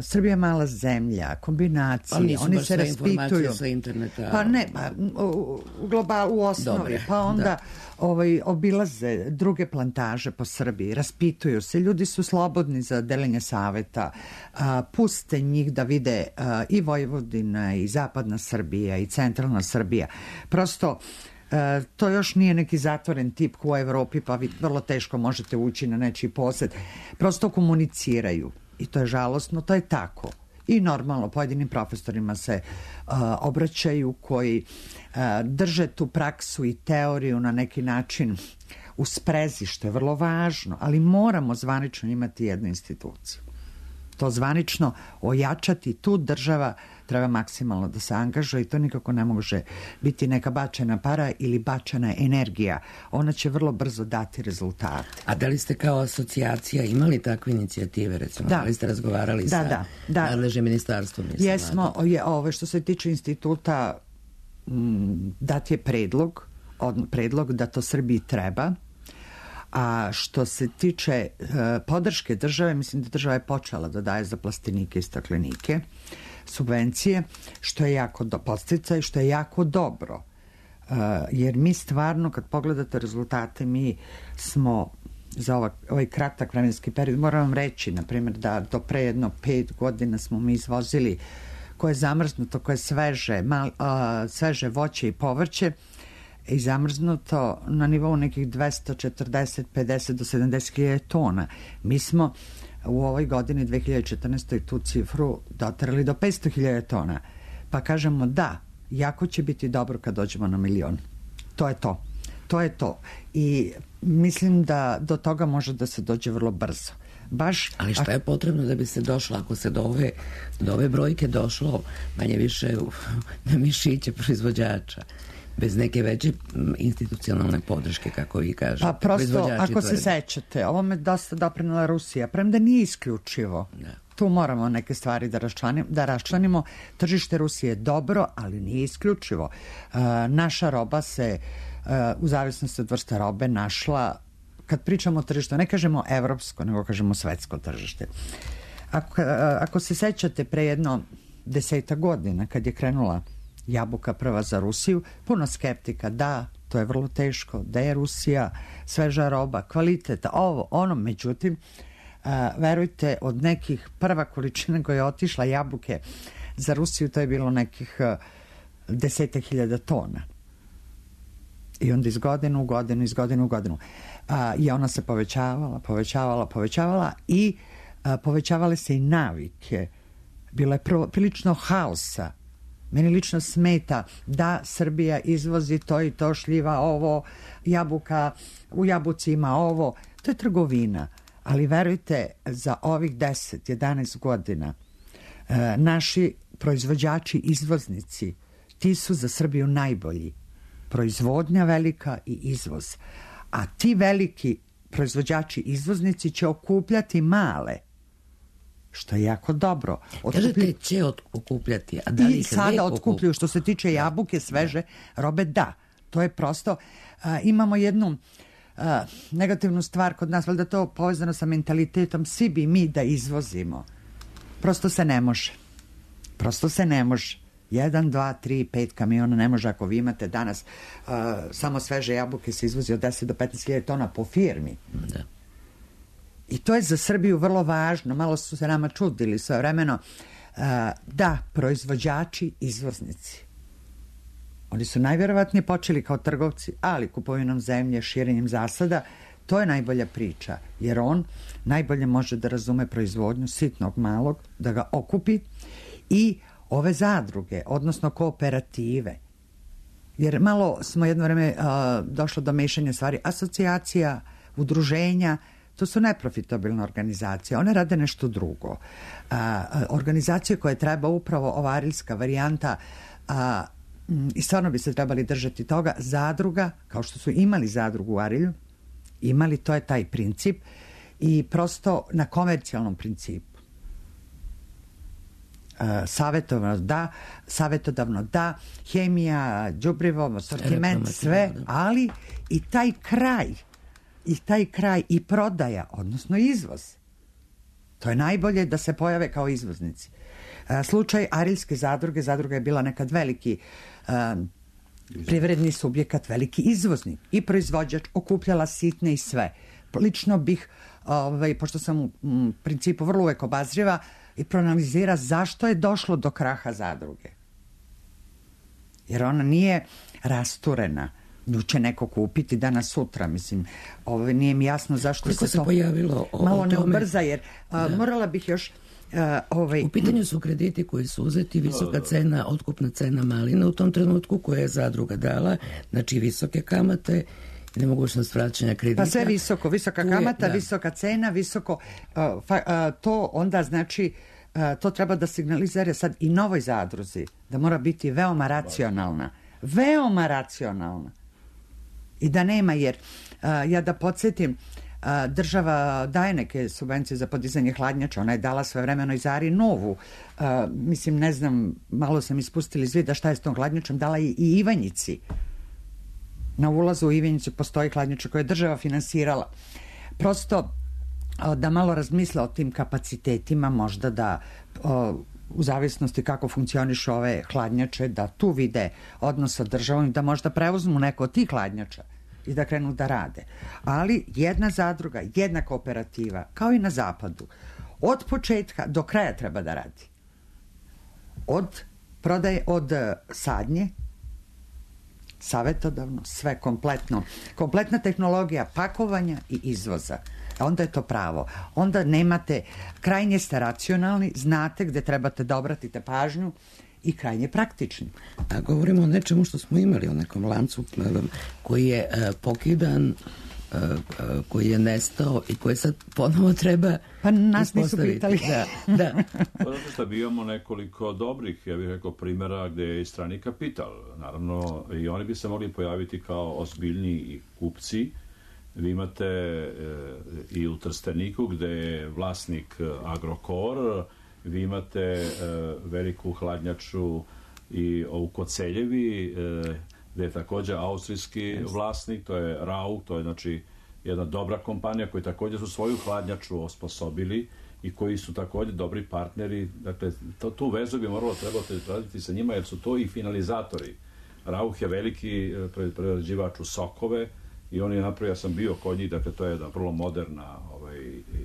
Srbija je mala zemlja, kombinacije, oni se raspituju. Sa interneta. Pa ne, u osnovi. Dobre, pa onda obilaze druge plantaže po Srbiji, raspituju se, ljudi su slobodni za deljenje saveta, puste njih da vide i Vojvodina, i zapadna Srbija, i centralna Srbija. Prosto, to još nije neki zatvoren tip u Evropi, pa vi vrlo teško možete ući na nečiji posed. Prosto komuniciraju i to je žalosno, to je tako. I normalno, pojedinim profesorima se obraćaju koji drže tu praksu i teoriju na neki način u sprezi, što je vrlo važno, ali moramo zvanično imati jednu instituciju. To zvanično ojačati, tu država treba maksimalno da se angažuje i to nikako ne može biti neka bačena para ili bačena energija. Ona će vrlo brzo dati rezultate. A da li ste kao asocijacija imali takve inicijative, recimo? Da li ste razgovarali sa nadležnim ministarstvom? Jesmo, što se tiče instituta, dat je predlog da to Srbiji treba, A što se tiče podrške države, mislim da država je počela da daje za plastenike i staklenike subvencije, što je jako podsticaj, što je jako dobro. Jer mi stvarno, kad pogledate rezultate, mi smo za ovaj kratak vremenski period, moram vam reći, na primjer, da do pre jedno 5 godina smo mi izvozili koje je zamrznuto, koje je sveže voće i povrće i zamrznuto na nivou nekih 240, 50 do 70 hiljada tona. Mi smo u ovoj godini 2014. tu cifru doterali do 500 hiljada tona. Pa kažemo da, jako će biti dobro kad dođemo na 1 milion. To je to. To je to. I mislim da do toga može da se dođe vrlo brzo. Ali šta je potrebno da bi se došlo, ako se do ove brojke došlo manje više na mišiće proizvođača, bez neke veće institucionalne podrške, kako vi kažete? Pa prosto, ako se sećate, ovome dosta doprinela Rusija, premda nije isključivo. Da. Tu moramo neke stvari da raščlanimo. Tržište Rusije je dobro, ali nije isključivo. Naša roba se, u zavisnosti od vrsta robe, našla, kad pričamo o tržištu, ne kažemo evropsko, nego kažemo svetsko tržište. Ako se sećate, pre jedno 10 godina, kad je krenula jabuka prva za Rusiju, puno skeptika, da, to je vrlo teško, da je Rusija, sveža roba, kvaliteta, ovo, ono, međutim, verujte, od nekih prva količina koja je otišla jabuke za Rusiju, to je bilo nekih 10.000 tona. I onda iz godine u godinu. I ona se povećavala i povećavale se i navike. Bilo je prilično haosa. Meni lično smeta da Srbija izvozi to i to, šljiva ovo, jabuka, u jabuci ima ovo. To je trgovina. Ali verujte, za ovih 10-11 godina naši proizvođači, izvoznici, ti su za Srbiju najbolji. Proizvodnja velika i izvoz. A ti veliki proizvođači, izvoznici će okupljati male, što je jako dobro. Kažete će okupljati, a da li i sada otkupljuju. Što se tiče jabuke, sveže robe, da. To je prosto, imamo jednu negativnu stvar kod nas, valjda to povezano sa mentalitetom, svi bi mi da izvozimo. Prosto se ne može. 1, 2, 3, 5 kamiona ne može. Ako vi imate danas samo sveže jabuke se izvozi od 10 do 15.000 tona po firmi. Da. I to je za Srbiju vrlo važno. Malo su se nama čudili svojevremeno. Da, proizvođači, izvoznici. Oni su najvjerovatnije počeli kao trgovci, ali kupovinom zemlje, širenjem zasada, to je najbolja priča, jer on najbolje može da razume proizvodnju sitnog malog, da ga okupi i ove zadruge, odnosno kooperative. Jer malo smo jedno vreme došlo do mešanja stvari. Asocijacija, udruženja, to su neprofitabilne organizacije. One rade nešto drugo. Organizacije koje treba upravo ova arilska varijanta, i stvarno bi se trebali držati toga, zadruga, kao što su imali zadrugu u Arilju, imali, to je taj princip, i prosto na komercijalnom principu. Savjetodavno da, hemija, đubrivo, sortiment, sve, ali i taj kraj i prodaja, odnosno izvoz. To je najbolje da se pojave kao izvoznici. Slučaj Arilske zadruge, zadruga je bila nekad veliki privredni subjekat, veliki izvoznik i proizvođač, okupljala sitne i sve. Lično bih, pošto sam u principu vrlo uvek obazriva, i proanalizira zašto je došlo do kraha zadruge. Jer ona nije rasturena. Nju će neko kupiti danas sutra. Mislim, nije mi jasno zašto koliko se pojavilo malo ne ubrza, jer morala bih još... U pitanju su krediti koji su uzeti, visoka cena, otkupna cena malina u tom trenutku koja je zadruga dala, znači visoke kamate, nemogućnost vraćanja kredita. Pa sve visoko, visoka kamata, visoka cena, visoko, to onda znači, to treba da signalizira sad i novoj zadruzi, da mora biti veoma racionalna. Veoma racionalna. I da nema, jer ja da podsjetim, država daje neke subvencije za podizanje hladnjača, ona je dala svojevremeno i Zari novu, mislim, ne znam, malo sam ispustili iz vida šta je s tom hladnjačom, dala i Ivanjici. na ulazu u Ivanjicu postoji hladnjača koja je država finansirala. Prosto da malo razmisle o tim kapacitetima, možda da u zavisnosti kako funkcionišu ove hladnjače, da tu vide odnos sa državom i da možda preuzmu neko od tih hladnjača i da krenu da rade. Ali jedna zadruga, jedna kooperativa, kao i na zapadu, od početka do kraja treba da radi. Od prodaje, od sadnje, savetodavno, sve kompletno. Kompletna tehnologija pakovanja i izvoza. Onda je to pravo. Onda nemate, krajnje ste racionalni, znate gde trebate da obratite pažnju i krajnje praktični. A govorimo o nečemu što smo imali, o nekom lancu koji je pokidan, koji je nestao i koji sad ponovo treba pa nas nisu pitali. Da. Zato što bi imamo nekoliko dobrih, ja bih rekao, primjera gde je i strani kapital. Naravno, i oni bi se mogli pojaviti kao ozbiljni kupci. Vi imate i u Trsteniku gde je vlasnik Agrokor, vi imate veliku hladnjaču i u Koceljevi gde je također austrijski vlasnik, to je Rauch, to je znači jedna dobra kompanija koji također su svoju hladnjaču osposobili i koji su također dobri partneri. Dakle, tu vezu bi moralo trebati raditi sa njima jer su to i finalizatori. Rauch je veliki prerađivač u sokove i on je napravio, ja sam bio kod njih, dakle to je jedna vrlo moderna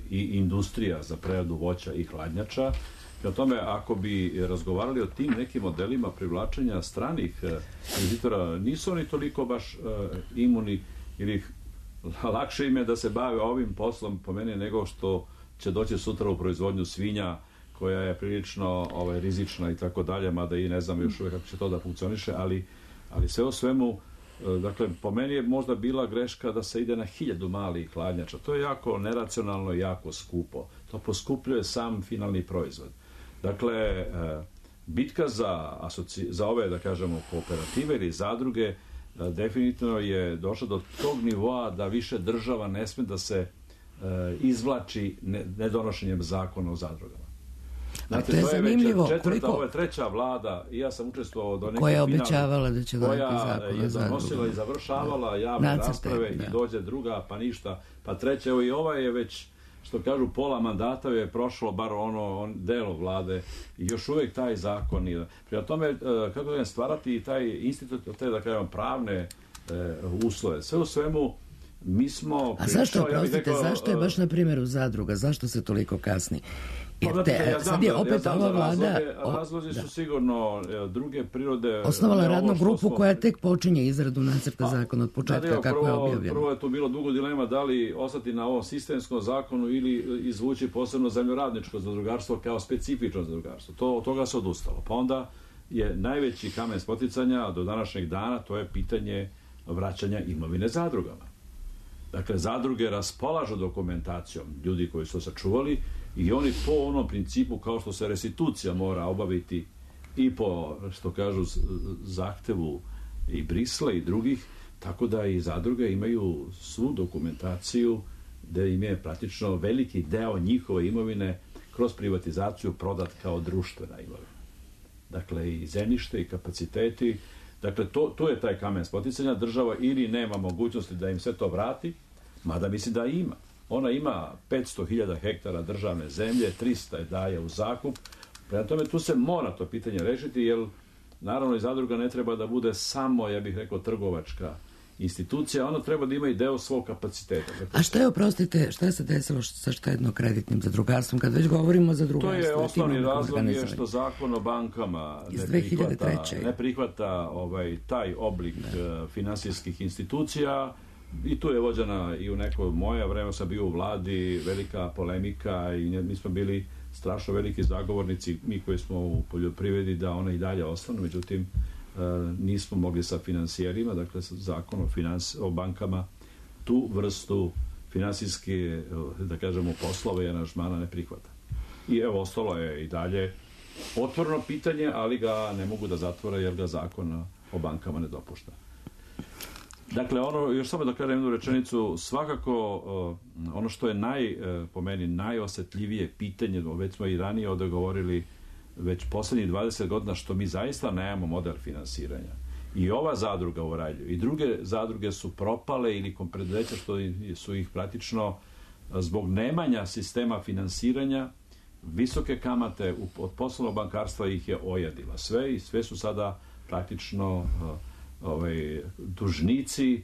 i industrija za preradu voća i hladnjača. I o tome, ako bi razgovarali o tim nekim modelima privlačenja stranih investitora, nisu oni toliko baš imuni ili lakše im je da se bave ovim poslom po meni nego što će doći sutra u proizvodnju svinja koja je prilično rizična i tako dalje, mada i ne znam još uvijek kako će to da funkcioniše, ali sve o svemu, dakle, po meni je možda bila greška da se ide na 1000 malih hladnjača. To je jako neracionalno i jako skupo. To poskupljuje sam finalni proizvod. Dakle, bitka za ove, da kažemo, kooperative ili zadruge definitivno je došla do tog nivoa da više država ne sme da se izvlači nedonošenjem zakona o zadrugama. Znate, to je zanimljivo. Ovo je treća vlada i ja sam učestvovao do neke koja je obećavala da će doneti zakon o zadrugama. Koja je donosila i završavala javne rasprave i dođe druga, pa ništa, pa treća. Evo i ova je već, što kažu, pola mandata je prošlo, bar ono delo vlade i još uvijek taj zakon nije. Prema tome, kako da stvarati taj institut, te da kažem pravne uslove. Sve u svemu, mi smo... A zašto, oprostite, zašto je baš na primjeru zadruga? Zašto se toliko kasni? Sad je opet ova vlada... Razlozi su sigurno druge prirode... Osnovala radnu grupu koja tek počinje izradu nacrta zakona od početka kako je objavljeno. Prvo je tu bilo dugo dilema da li ostati na ovom sistemskom zakonu ili izvući posebno zemljoradničko zadrugarstvo kao specifično zadrugarstvo. Od toga se odustalo. Pa onda je najveći kamen spoticanja do današnjeg dana, to je pitanje vraćanja imovine zadrugama. Dakle, zadruge raspolažu dokumentacijom ljudi koji su sačuvali i oni po onom principu kao što se restitucija mora obaviti i po, što kažu, zahtevu i Brisla i drugih, tako da i zadruge imaju svu dokumentaciju da im je praktično veliki deo njihove imovine kroz privatizaciju prodat kao društvena imovina. Dakle, i zemljište i kapaciteti. Dakle, to je taj kamen spoticanja. Država ili nema mogućnosti da im sve to vrati, mada mislim da ima. Ona ima 500.000 hektara državne zemlje, 300 je daje u zakup. Prema tome, tu se mora to pitanje rešiti, jer naravno i zadruga ne treba da bude samo, ja bih rekao, trgovačka institucija, ona treba da ima i deo svog kapaciteta. A šta je, oprostite, šta je se desilo sa štedno-kreditnim zadrugarstvom, kad već govorimo o zadrugarstvu? To je osnovni razlog je što zakon o bankama ne prihvata taj oblik finansijskih institucija i tu je vođena i u neko moje vreme sam bio u vladi velika polemika i mi smo bili strašno veliki zagovornici, mi koji smo u poljoprivredi, da ona i dalje ostanu, međutim nismo mogli sa finansijerima, dakle zakon o bankama tu vrstu finansijske, da kažemo, poslove i aranžmana ne prihvata. I evo, ostalo je i dalje otvoreno pitanje, ali ga ne mogu da zatvore jer ga zakon o bankama ne dopušta. Dakle, još samo da kažem jednu rečenicu, svakako ono što je po meni najosjetljivije pitanje, već smo i ranije ovdje govorili, već posljednjih 20 godina, što mi zaista nemamo model finansiranja. I ova zadruga u Oralju i druge zadruge su propale ili preduzeća što su ih praktično zbog nemanja sistema finansiranja, visoke kamate od poslovnog bankarstva ih je ojadila. Sve su sada praktično dužnici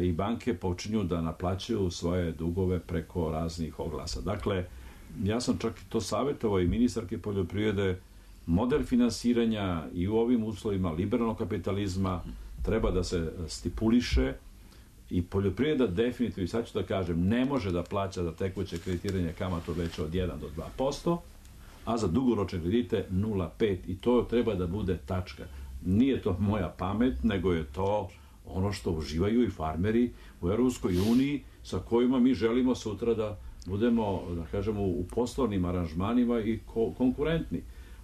i banke počinju da naplaćuju svoje dugove preko raznih oglasa. Dakle, ja sam čak to savjetovao i ministarke poljoprivrede, model finansiranja i u ovim uslovima liberalnog kapitalizma treba da se stipuliše i poljoprivreda definitivno, sad ću da kažem, ne može da plaća za tekuće kreditiranje kamatu veće od 1 do 2%, a za dugoročne kredite 0,5% i to treba da bude tačka. Nije to moja pamet, nego je to ono što uživaju i farmeri u Europskoj uniji sa kojima mi želimo sutra da budemo, da kažemo, u poslovnim aranžmanima i konkurentni.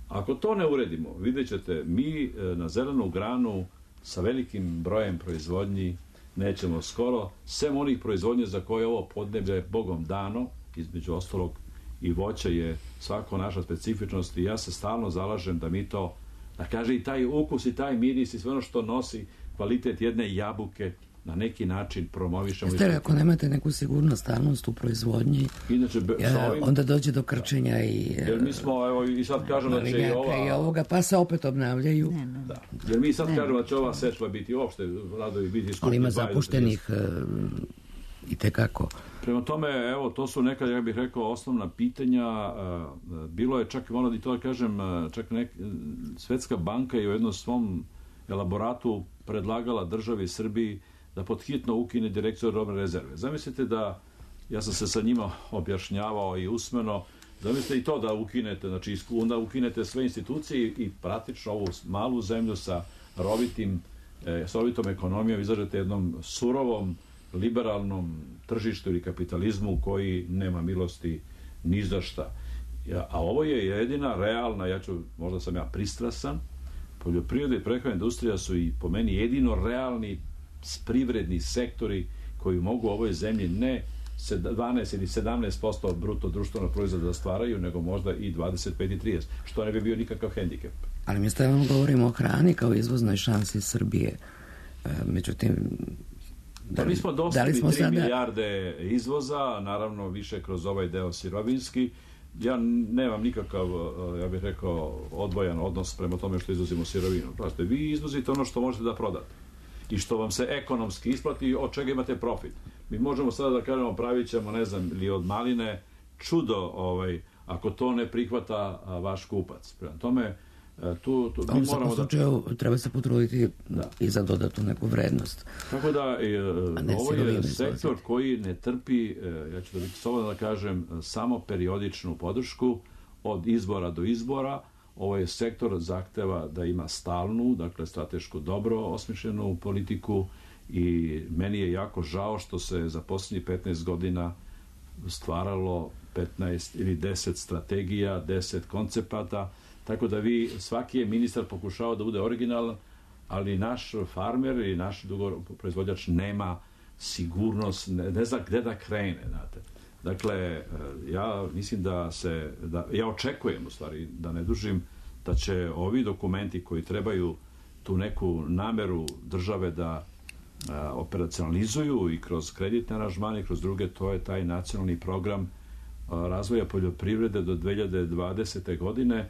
Ako to ne uredimo, vidjet ćete, mi na zelenu granu sa velikim brojem proizvodnji nećemo skoro, sem onih proizvodnje za koje ovo podneblje Bogom dano, između ostalog i voća je svako naša specifičnost i ja se stalno zalažem da mi to, da kaže i taj ukus i taj miris i sve ono što nosi kvalitet jedne jabuke na neki način promovišemo. Jeste li, ako nemate neku sigurnost, stalnost u proizvodnji, inače, onda dođe do krčenja i... Jer mi smo, evo, i sad kažem da će i ovoga, pa se opet obnavljaju. Da. Jer mi sad kažemo da će ova setva biti uopšte, radovi biti skupni. Ali ima zapuštenih i tekako. Prema tome, evo, to su neka, ja bih rekao, osnovna pitanja. Bilo je čak, moram i to da kažem, čak Svetska banka je u jednom svom elaboratu predlagala državi Srbiji da podhitno ukine direkciju robne rezerve. Zamislite da, ja sam se sa njima objašnjavao i usmeno, zamislite i to da ukinete, znači onda ukinete sve institucije i praktično ovu malu zemlju sa rovitom ekonomijom izlažete jednom surovom, liberalnom tržištu ili kapitalizmu koji nema milosti ni za šta. A ovo je jedina realna, možda sam ja pristrasan, poljoprivreda i prehrambena industrija su i po meni jedino realni privredni sektori koji mogu u ovoj zemlji ne 12 ili 17% bruto društvenog proizvoda da stvaraju, nego možda i 25 i 30, što ne bi bio nikakav hendikep. Ali mi stavljamo govorimo o hrani kao izvoznoj šansi Srbije. Međutim, mi smo dostali 3 milijarde izvoza, naravno više kroz ovaj deo sirovinski. Ja nemam nikakav, ja bih rekao, odvojan odnos prema tome što izvozimo sirovinu. Prosto, vi izvozite ono što možete da prodate i što vam se ekonomski isplati i od čega imate profit. Mi možemo sada da kažemo pravit ćemo, ne znam, ili od maline čudo, ako to ne prihvata vaš kupac. Prema tome, tu mi moramo slučaju, treba se potruditi i za dodatnu neku vrednost. Tako da, ovo je sektor koji ne trpi, ja ću da biti slobodno da kažem, samo periodičnu podršku od izbora do izbora. Ovo je sektor zahteva da ima stalnu, dakle stratešku dobro osmišljenu politiku i meni je jako žao što se za posljednjih 15 godina stvaralo 15 ili 10 strategija, 10 koncepata, tako da svaki je ministar pokušao da bude originalan, ali naš farmer i naš proizvođač nema sigurnost, ne zna gde da krene, znate. Dakle, ja mislim ja očekujem, u stvari, da ne dužim, da će ovi dokumenti koji trebaju tu neku nameru države da operacionalizuju i kroz kreditne aranžmane i kroz druge, to je taj nacionalni program razvoja poljoprivrede do 2020. godine,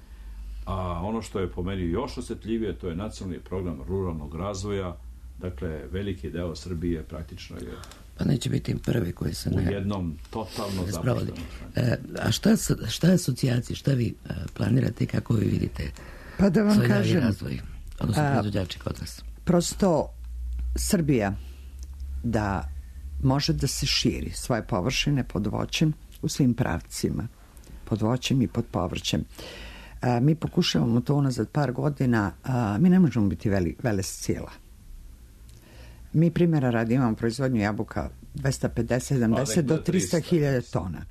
a ono što je po meni još osjetljivije, to je nacionalni program ruralnog razvoja. Dakle, veliki deo Srbije praktično je pa neće biti prvi koji se u jednom totalno zapuštenom. A šta je asocijacija? Šta vi planirate i kako vi vidite pa da vam kažem, razvoj, odnosno proizvođači kod vas? Prosto Srbija da može da se širi svoje površine pod voćem u svim pravcima, pod voćem i pod povrćem. Mi pokušavamo to unazad par godina, mi ne možemo biti velesila. Mi primjera radi imamo proizvodnju jabuka 250-70 do 300.000 tona.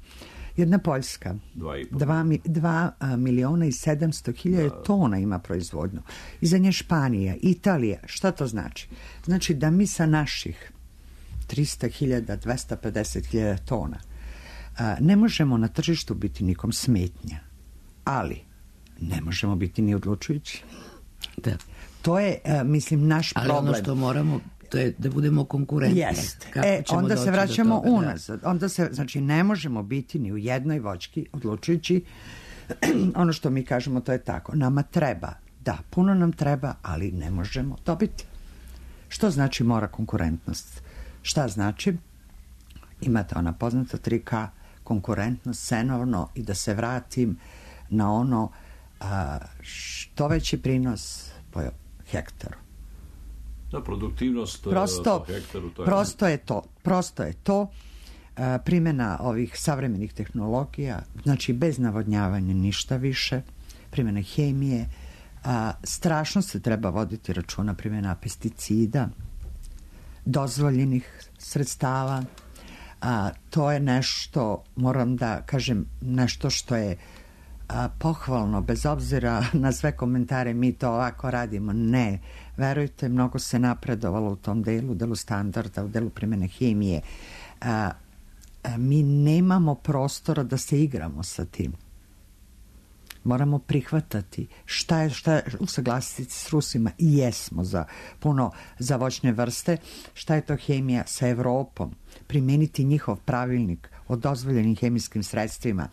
Jedna Poljska 2.700.000 tona ima proizvodnju. Iza nje Španija, Italija. Šta to znači? Znači da mi sa naših 300.000, 250.000 tona ne možemo na tržištu biti nikom smetnja, ali ne možemo biti ni odlučujući. Da. To je, mislim, naš problem. Ali ono što moramo, to je da budemo konkurentni. Jest. Onda se vraćamo unazad. Onda se, znači, ne možemo biti ni u jednoj voćki, odlučujući ono što mi kažemo, to je tako. Nama treba, da, puno nam treba, ali ne možemo dobiti. Što znači mora konkurentnost? Šta znači? Imate ona poznata 3K, konkurentnost, cenovno, i da se vratim na ono što veći prinos po hektaru. Da, produktivnost po hektaru. Prosto je to. Primjena ovih savremenih tehnologija, znači bez navodnjavanja ništa više, primjena hemije, strašno se treba voditi računa primjena pesticida, dozvoljenih sredstava. To je nešto, moram da kažem, nešto što je pohvalno, bez obzira na sve komentare, mi to ovako radimo. Ne, verujte, mnogo se napredovalo u tom delu standarda, u delu primjene hemije. Mi nemamo prostora da se igramo sa tim. Moramo prihvatati šta je usaglasiti s Rusima, i jesmo za voćne vrste, šta je to hemija sa Evropom, primeniti njihov pravilnik o dozvoljenim hemijskim sredstvima,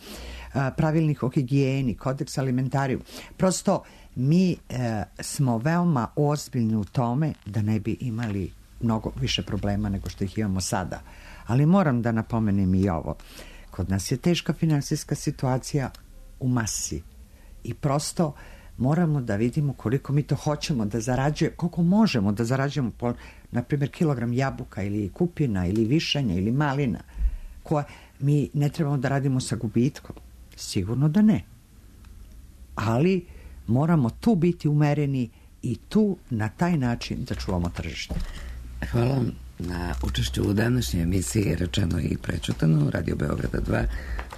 pravilnik o higijeni, kodeks alimentariju. Prosto mi smo veoma ozbiljni u tome da ne bi imali mnogo više problema nego što ih imamo sada. Ali moram da napomenem i ovo. Kod nas je teška finansijska situacija u masi i prosto moramo da vidimo koliko mi to hoćemo da zarađujemo, koliko možemo da zarađujemo po, na primjer, kilogram jabuka ili kupina ili višanja ili malina, koje mi ne trebamo da radimo sa gubitkom. Sigurno da ne. Ali moramo tu biti umereni i tu na taj način da čuvamo tržište. Hvala vam na učešću u današnjoj emisiji Rečeno i prečutano, Radio Beograda 2.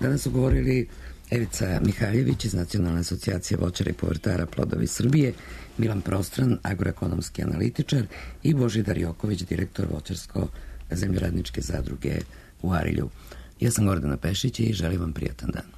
Danas su govorili Evica Mihaljević iz Nacionalne asocijacije voćara i povrtara Plodovi Srbije, Milan Prostran, agroekonomski analitičar, i Božidar Joković, direktor voćarsko-zemljoradničke zadruge u Arilju. Ja sam Gordana Pešić i želim vam prijatan dan.